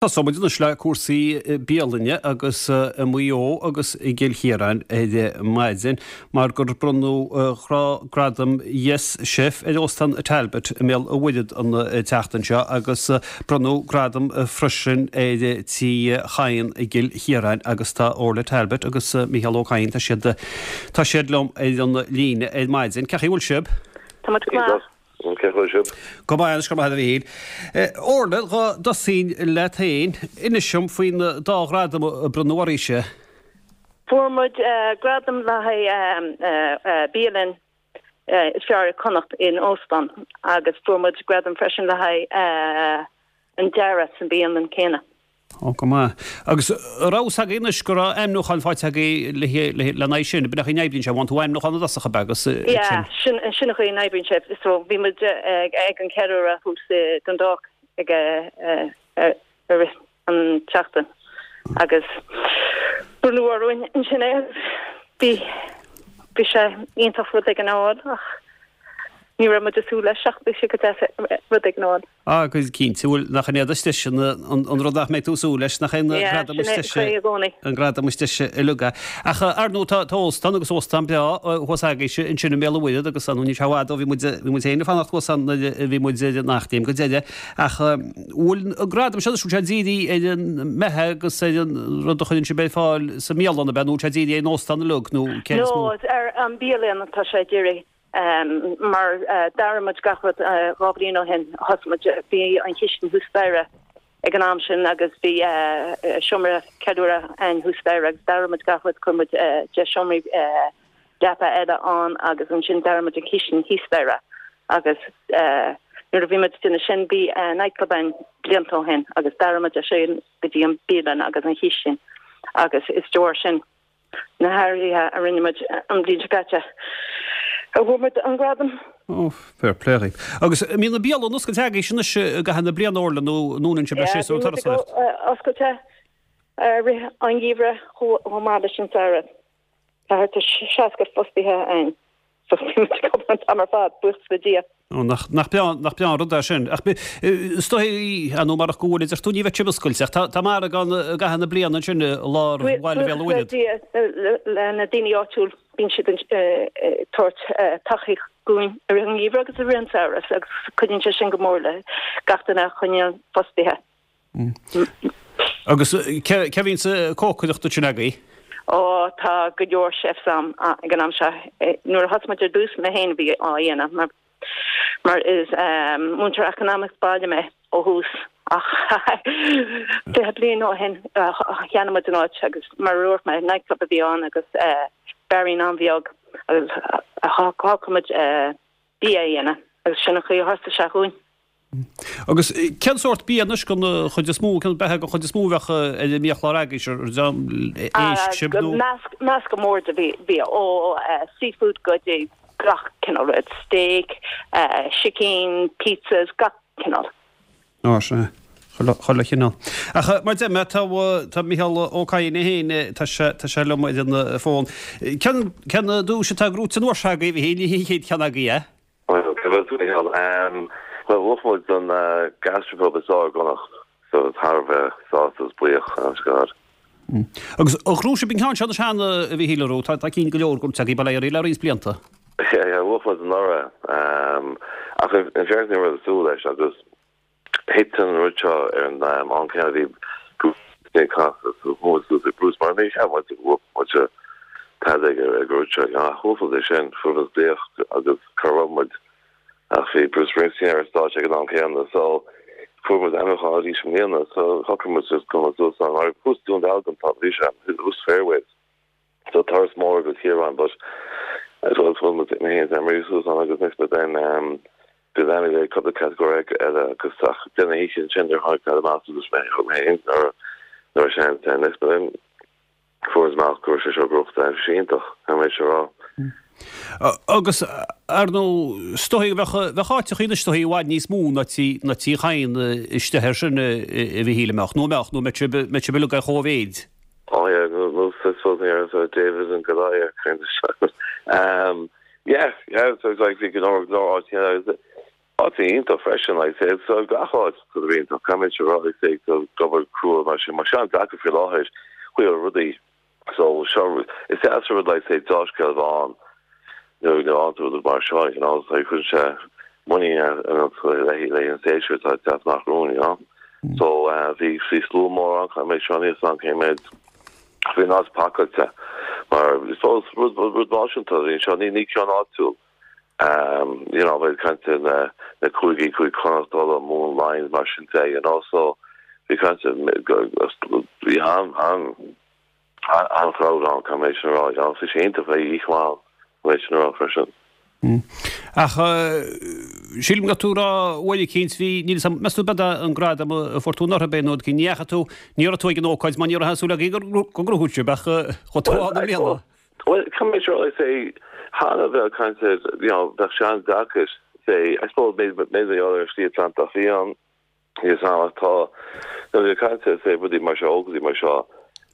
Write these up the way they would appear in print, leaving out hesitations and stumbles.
Tosóidh muid anois le cúrsaí bialainne agus i Maigh Eo agus i gCill Chiaráin ar maidin mar gur bronnadh gradam Yes Chef ar Óstán Talbot i mBéal an Mhuirthead an tseachtain seo agus bronnadh gradam freisin ar Tí Chadhain i gCill Chiaráin agus tá Orla Talbot agus Micheál Ó Cadhain, tá siad tá siad liom ar an líne ar maidin. Cén chaoi a bhfuil sibh? Tá muid go maith. Cén chaoi a bhfuil sibh? Go maith anois, go raibh maith agat a Mhichíl. Orla, dhá dtosóinn leat féin, inis dom faoin dá ghradam a bronnadh oraibhse. Fuair muid gradam le haghaidh bialann is fearr i Connacht in óstán agus fuair muid gradam freisin le haghaidh an dearadh sa bhialann céanna. Ó, go maith. Agus an raibh fhios agaibh anois go raibh ainmniúchán faighte agaibh lena aghaidh sin, b'in é an chaoi a n-oibríonn sé, faigheann tú ainmniúchán i dtosach, ab ea, agus ansin. Yeah, sin, sin an chaoi a n-oibríonn sé. So bhí muid ag an ceiliúradh thuas i Dundalk ag i rith an tseachtain agus bronnadh orainn ansin é agus bhí, bhí sé iontach rud éigin a fháil ach ní raibh muid ag súil leis ach bhí sé go deas rud éigin a fháil. Ah, go cinnte, bhuel, nach in iad is deise, an rud nach mbeidh tú ag súil leis, nach é an gradam is deise, an gradam is deise uilig é. Ach, ar ndóigh, tá óstán agus óstán breá thuas agaibhse ansin i mBéal an Mhuirthead agus ar ndóigh níl sé i bhfad ó bhí muid, bhí muid féin ag fanacht thuas ann nuair a bhí muid ar an Eachléim go deireadh. Ach bhfuil an gradam seo, bhfuil sé dírithe ar an mbeatha agus ar an rud a chuireann sibh ar fáil sa mbialann, ab ea, nó bhfuil sé dírithe ar an óstán uilig nó céard is mó? No, ar an bialann atá sé dírithe. Mar d'athraigh muid gach rud 2 bhliain ó shin, thosaigh muid, bhí an chistin thuas staighre ag an am sin agus bhí seomra ceiliúrtha againn thuas staighre agus d'athraigh muid gach rud, chuir muid 10 seomraí leapa eile ann agus ansin d'athraigh muid an chistin thíos staighre agus nuair a bhí muid ag déanamh sin bhí nightclub againn blianta ó shin agus d'athraigh muid é sin go dtí an bialann agus an chistin agus is de bharr sin. Na hathruithe a rinne muid an bhliain seo caite a bhfuair muid an gradam. Ó, fair play dhaoibh. Agus an mbíonn an bhialann oscailte agaibhse anois i gcaitheamh na bliana, Orla, nó an ndúnann sibh le séasúr an turasóireacht? Bíonn muid oscailte i rith an gheimhridh chomh maith leis an samhradh. Tá thart ar 60 fostaithe againn. So bíonn muid ag obair an t-am ar fad, buíochas le Dia. Ó, nach, nach breá, nach breá an rud é sin. Ach is dóigh, ar ndóigh marach go bhfuil, a deir tú, ní bheadh sibh oscailte. Ach tá, tá margadh ann i gcaitheamh na bliana ansin i lár bhaile Bhéal an Mhuirthead. Buíochas le Dia, le na daoine áitiúil, bíonn siad ag tabhairt tacaíocht dúinn i rith an gheimhridh agus i rith an samhradh agus cuidíonn sé sin go mór le gach duine a choinneáil fostaithe. Agus cé a bhíonns ag cócaireacht ansin agaibh? Ó, tá go leor chefs ann ag an am seo. Nuair a thosaigh muid ar dtús, mé féin a bhí á dhéanamh mar mar is múinteoir eacnamaíocht baile mé ó thús ach 20 bliain ó shin cheannaigh muid an áit agus mar a dúirt mé, nightclub a bhí ann agus beairín an-bheag agus shocraigh muid bia a dhéanamh agus sin an chaoi a thosaigh sé dhúinn. Agus cén sórt bia anois den chuid is mó, cén beatha den chuid is mó a bheadh ar an mbiachlár agaibhse, ar éisc sibh nó? Meascán mór de bhia, ó seafood go dtí gach cineál rud, steak, sicín, pizzas, gach cineál. Á sea, chuile chineál. Ach mar deir mé, tá tá Micheál Ó Cadhain é féin, tá sé tá sé liom ar an bhfón. Cén cén duais atá gnóite an uair seo agaibh, a Mhichíl, ní hé an chéad cheann agaibh é? Bhuel, cén chaoi a bhfuil tú, a Mhichíl? Bhuel, bhuaigh muid an Gastropub is fearr i gConnacht, so thar a bheith sásta agus buíoch, honest to God. Agus an ghnóthaigh sibh an ceann seo anois cheana, a Mhichíl, an raibh? Tá cinn go leor gnóite agaibh, bail ó Dhia oraibh, le roinnt blianta. Yeah, yeah, bhuaigh muid anuraidh. Ach in fairness ní raibh ag súil leis agus Thit an rud seo ar an am céanna a bhí Bruce ag casadh so chuaigh muid suas ag Bruce mar ní cheap muid go bhfuair muid tada ag an rud seo ach bhuaigh muid é sin, fuair muid glaoch agus cá raibh muid ach bhí Bruce Springsteen ar an stáitse ag an am céanna so fuair muid ainmniúchán arís i mbliana so shocraigh muid just go mbeadh suas ann mar thuas Dún Dealgan tá bhí sé thuas Fairways so turas mór go Ciarán but as well fuair muid mé féin is Anne-Marie suas ann agus next but then um, bhí Annie le cúpla catagóir eile agus ach den oíche sin ar tháinig cad amach agus mé thug mé féin nuair nuair sin then next but then fuair muid amach go raibh sé seo gnóthaithe bhí sé iontach an méid seo rá. Agus ar ndóigh is dóigh go bheadh bheadh áiteachaí anois is dóigh i bhfad níos mó ná tí ná Tí Chadhain istigh air sin a Mhichíl an mbeadh nó an mbeadh nó an mbeadh sibh mbeadh sibh uilig ar chóimhéid. Oh yeah, no, no, I suppose here, so David and Goliath kind of stuff. Um, yeah, yeah, so it's like bhí go leor go leor áiteanna. Áit iontach freisin, like say, so gach áit tá sé iontach, caithfidh mé a rá, like say, tá obair crua mar sin, mar seo an-deacair faoi láthair, chuile rudaí, so seo, is deas an rud like say dea-scéal a bheith ann nuair nuair a fhaigheann tú rud mar seo, you know, so cuireann sé muinín ionat le haghaidh an séasúr atá ag teacht amach romhainn, you know. So bhí bhí slua mór ann, caithfidh mé seo níl 's agam cé méid, bhí an áit pacáilte mar is rud rud náisiúnta a bhí anseo, ní ní ceann áitiúil. You know, bheith ag caint ar na na cúigí, Cúige Chonnacht, Uladh, Mumhan, Laighin, mar sin de, you know, so bhí caint bhí an an an-chrowd ann, caithfidh mé sin a rá, you know, bhí sé iontach, bhí oíche mhaith ann, caithfidh mé sin a rá freisin. Ach sílim go raibh tú ag rá uair eicínt, bhí, níl 'fhios a'm, meas tú b'é an gradam a fuair tú anuraidh b'é nó ní dheachaigh tú, ní raibh tú ag an ócáid mar ní raibh aon súil againn go go ngnóthódh sibh ach chuaigh tú ann i mbliana. Bhuel, caithfidh mé a rá, say, cheana bheadh caint ar, you know, bheadh sé an-deacair, say, I suppose maybe maybe ar an Slí Atlantach Fiáin, níl 'fhios a'm ach tá, you know, bheadh caint ar, say, rudaí mar seo, ócáidí mar seo,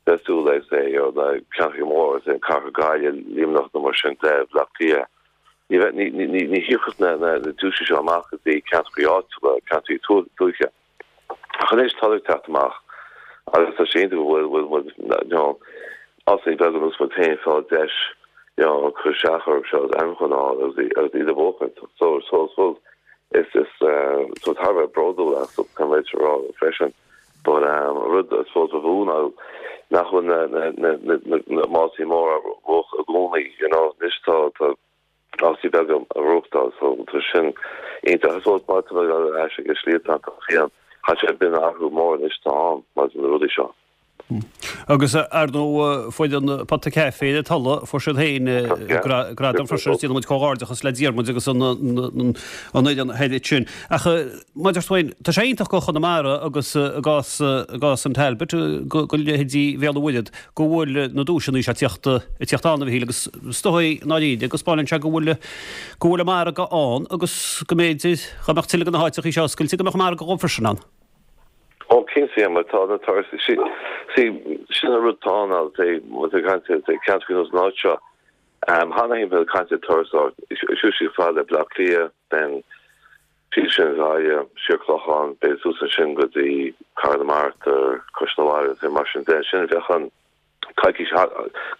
bheadh súil le, say, you know, na ceantracha móra, say, an Cathair Gaillimh, Luimneach nó mar sin de, Bleá Cliath. Ní bheadh, ní, ní, ní, ní thiocfadh na, na, na duaiseanna seo amach go dtí ceantracha áitiúla, ceantracha tuaithe. Ach anois tá ag teacht amach agus tá sé iontach go bhfuil bhfuil muid you know áiteanna beaga ar nós muid féin ag fáil deis you know cur isteach orthu seo agus ainmniúchán a fháil agus agus iad a bhuachaint. So so so is is so thar a bheith bródúil astu caithfidh mé a rá freisin. But um rud I suppose ba mhó ná nach bhfuil na na na na na mátaí móra á bhuachan i gcónaí you know anois tá tá áiteanna beaga á reáchtáil so tá sin iontach. I suppose má tá mé ag dul ar ais ag an Slí Atlantach Fiáin, tá sé b'in athrú mór anois atá ann maidir le rudaí seo. Agus ar ndóigh foireann Pota Caife le Tulla, fuair siad féin gradam freisin agus déanann muid comhghairdeachas le Diarmuid agus an fhoireann thoir sin. Ach mar a deir tú féin, tá sé iontach go Chonamara agus i gcás i gcás an Talbot go leithéidí Bhéal an Mhuirthead go bhfuil na duaiseanna seo ag tíocht ag tíocht ann a Mhichíl agus is dóigh i ndáiríre go spáineann sé go bhfuil go bhfuil an margadh ann agus go mb'fhéidir dá mbeadh tuilleadh de na háiteacha seo oscailte go mbeadh margadh dhóibh freisin ann. Ó cinnte mar tá na turais see sin an rud atá ann agus é ag caint ar ceantracha ar nós an áit seo. Cheana féin bheith ag caint ar turasóireacht suas chomh fada le Bleá Cliath then síos sin Gaillimh, siar Clochán, b'fhéidir suas ansin go dtí Cathair na Mart ar Cois na Mara agus mar sin de. Sin bheadh an coicís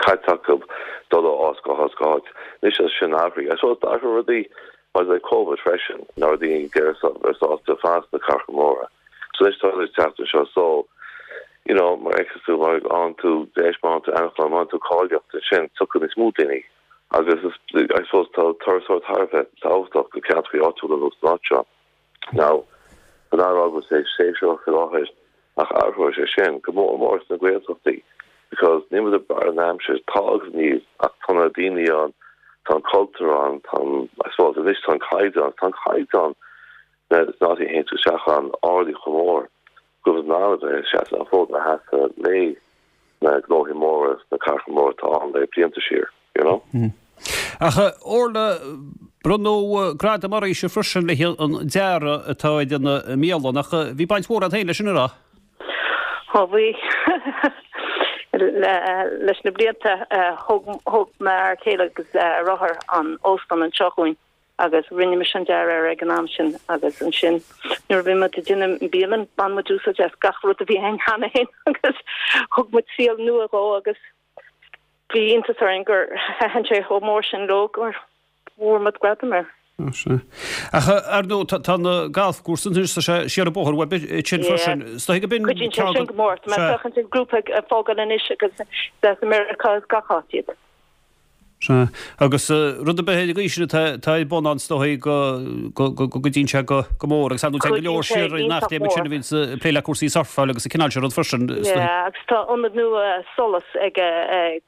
caite acu dul ó áit go háit go háit. Anois tá sin athraithe. I suppose d'athraigh rudaí maidir le Covid freisin, nach raibh daoine ag iarraidh bheith sásta fanacht sna cathracha móra. So anois tá siad ag teacht anseo so you know mar a fheiceas tú má fhaigheann tú deis, má fhaigheann tú ainmniúchán, má fhaigheann tú cáilíocht ansin tiocfaidh níos mó daoine. Agus is, I suppose, tá turasóireacht thar a bheith tábhachtach do ceantracha áitiúla ar nós an áit seo. Now, san á rá go bhfuil sé séasúrach faoi láthair, ach athróidh sé sin, go mór mór sna Gaeltachtaí, because níl muid ag brath ar an aimsir, tá agus níl, ach tá na daoine ann, tá an cultúr ann, tá an, I suppose, anois tá an caighdeán, tá an caighdeán sna áiteanna a théann tú isteach ann ardaithe chomh mór go bhfuil in ann a bheith ag seasamh an fód a sheasamh le na gnóthaí móra sna cathracha móra atá ann le blianta siar, you know. Ach Orla, bronnadh gradam oraibhse freisin le haghaidh an dearadh atá ar an mbialann, ach bhí baint mhór agat féin leis sin, an raibh? Ó bhí. Leis na blianta thóg m'fhear céile agus deartháir an óstán anseo dhúinn. agus rinne mise an dearadh air ag an am sin agus ansin nuair a bhí muid ag déanamh an bhialann bhain muid úsáid as gach rud a bhí ann cheana féin agus thug muid saol nua dhó agus bhí iontas orainn gur thaitin sé chomh mór sin leo gur bhfuair muid gradam air. Sea. Ach ar ndóigh tá na galfchúrsa anois tá sé siar an bóthar uaibh ansin freisin. Is dóigh go b'in Cuidíonn sé sin go mór. Tá mé ag féachaint ar grúpa ag fágáil anois agus as Meiriceá is gach áit iad. Sea. Agus rud ar bith ar an gcaoi sin atá ar bun ann is dóigh go gcuidíonn sé go mór agus ar ndóigh téann go leor siar ar an eachléim ansin a bhíonns ag plé le cúrsaí surfáil agus an cineál sin rud freisin. Yeah, agus tá ionad nua solais ag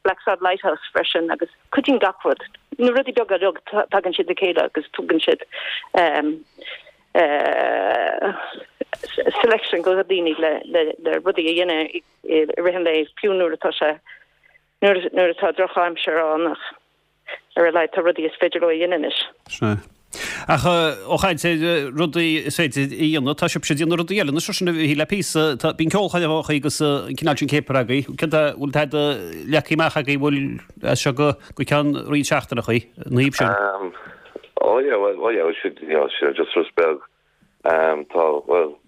Blacksod Lighthouse freisin agus cuidíonn gach rud. Na rudaí beaga uilig tagann siad le chéile agus tugann siad selection do dhaoine le rudaí a dhéanamh i rith an lae fiú nuair atá sé nuair atá drochaimsir ann ach ar a laghad tá rudaí is féidir leo a dhéanamh anois. Sea. Ach ó chaint ar rudaí is féidir a dhéanamh, tá sibhse ag déanamh rudaí eile anois freisin a Mhichíl le píosa, tá, bíonn ceolchoirmeacha agus an cineál sin céapair agaibh. Céard a bhfuil tada leagtha amach agaibh bhfuil as seo go, go ceann roinnt seachtaineacha ina thaobh sin? Oh yeah, well, well yeah, sin, you know, sin just rud beag. Um, tá, well,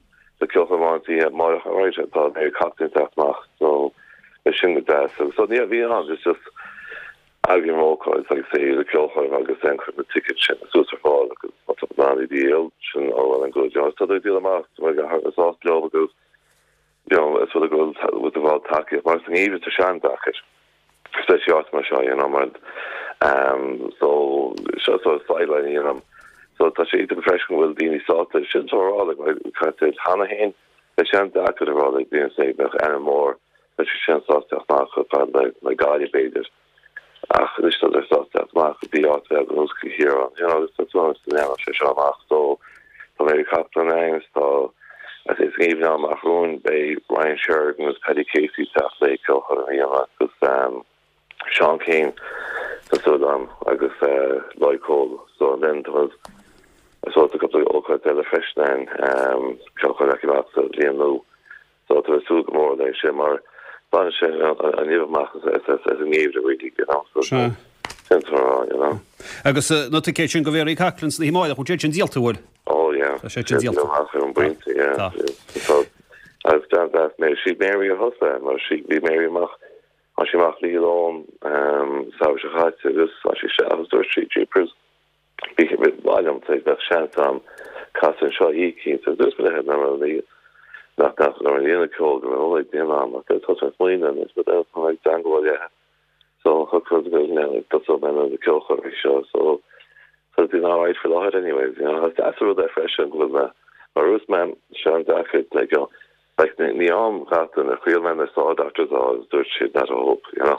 tá ceolchoirm amháin sa oíche amárach, alright, tá Mary Coughlan ag teacht amach, so beidh sin go deas. Agus so ní, bhí ann, it's just eagraím ócáid, like say, le ceolchoirm agus then cuirim na tickets sin suas ar fáil agus má tá in ann iad a dhíol, sin all well and good, you know, tá ag díol amach, tá mé sásta leo agus, you know, is rud go bhfuil go bhfuil tacaíocht, mar sa ngeimhreadh tá sé an-deacair. especially áit mar seo, you know, mar um, so seo sort of sideline a dhéanaim. So tá sé iontach freisin go bhfuil daoine sásta sin tá rá like mar caite cheana féin beidh sé an-deacair a rá le daoine say bheadh ainm mór beidh sé sin sásta teacht amach chomh fada le le Gaillimh b'fhéidir ach anois tá sé sásta teacht amach go dtí áit bheag ar nós Cill Chiaráin you know agus tá súil agam go ndéanfaidh sé seo amach so tá Mary Coughlan ann tá Sa ngeimhreadh amach romhainn beidh Ryan Sheridan agus Paddy Casey ag teacht le ceolchoirm a dhéanamh agus Seán Keane tá súil agam agus Lloyd Cole. So and then tá I suppose tá cúpla ócáid eile freisin ann ceolchoirm acu amach sa bhliain nua. So tá mé ag súil go mór leis sin mar baineann sé an nimh amach as an ngeimhreadh really, you know. So Sea. sin atá a rá, you know. Agus na ticéid sin do Mhary Coughlan san oíche amárach, bhfuil siad sin díolta, bhfuil? Oh yeah. Tá sé sin díolta. Amach ar an bpointe, yeah. Tá. Tá. Agus gan dabht Mary, sí Mary a thosaigh mar sí, bhí Mary amach, tháinig sí amach le Ollán an samhradh seo caite agus tháinig sí isteach agus dúirt sí, jeepers, bhí ba mhaith liom tar bheadh seans a'm casadh anseo oíche eicínt agus dúirt mé léi nach raibh nach nach raibh déanamh ceoil go raibh ag déanamh a'm ach thosaigh mé ag smaoineamh anois but then tá mé ag teagmháil léi So shocraigh muid go dtosódh mé na ceolchoirmí seo so so it's been alright faoi láthair anyways you know. Is deas an rud é freisin go bhfuil na mar a dúirt mé sé an-deacair like you know like ní ní am gach duine chraol mé na Saw Doctors á agus dúirt siad not a hope you know.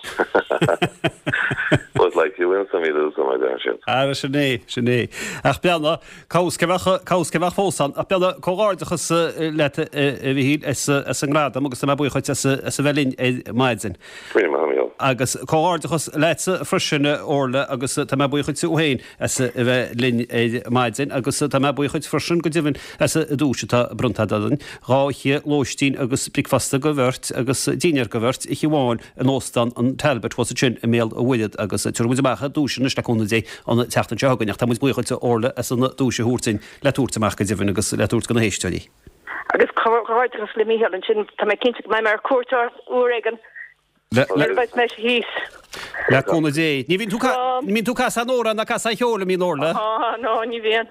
But like you win some you lose some a deir siad. Ara sin é, sin é. Ach beanna, Cá bhfios cé bheadh, cá bhfios cé bheadh fós ann. Ach beanna, comhghairdeachas leat a Mhichíl as as an ngradam agus tá mé buíoch dhuit as as a bheith linn ar maidin. Agus comhghairdeachas leatsa freisin, a Orla, agus tá mé buíoch dhuit féin as a bheith linn ar maidin, agus tá mé buíoch dhuit freisin, go deimhin, as an duais atá bronnta agat orainn, 2 oíche lóistín agus bricfeasta do bheirt agus dinnéar do bheirt, oíche amháin in Óstán an Talbot thuas ansin i mBéal an Mhuirthead, agus tabharfaidh muid amach duaiseanna anois le cúnamh Dé an tseachtain seo chugainn, ach tá muid buíoch dhuit, a Orla, as an duais a thabhairt duinn le tabhairt amach go deimhin agus le tabhairt do na héisteoirí. Agus comhghairdeachas le Mícheál ansin, tá mé cinnte go mbeidh mé ar cuairt ort uair éigin nuair a bheidh mé thíos. Le cúnamh Dé. Ní bhíonn tú ní bhíonn tú ag casadh an amhráin ná casadh an cheoil, an mbíonn Orla? Á, no, ní bhíonn.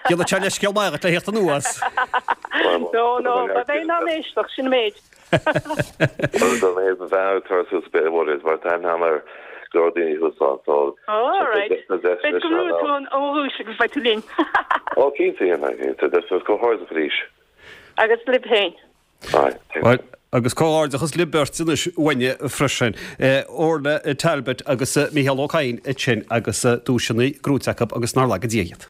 Déanfaidh sé leithscéal maith dhuit le theacht anuas. No, no, beidh mé in ann éisteacht, sin an méid. Bhuel, dá mhéad ba bheatha ag tabhairt suas Béal Mhuirthead mar tá aithne agam ar go leor daoine thuas ann, so Ó, alright. tá deis Beidh go mbrúfaidh tú an dhuais agus beidh tú linn. Ó, cinnte, yeah, cinnte. Deis agus comhghairdeachas arís. Agus libh féin. Aye, thanks. Bhuel, agus comhghairdeachas libh beirt anois uainne freisin. Orla Talbot agus Mícheál Ó Cadhain ansin agus duaiseanna gnóite acu agus nár laga Dia iad.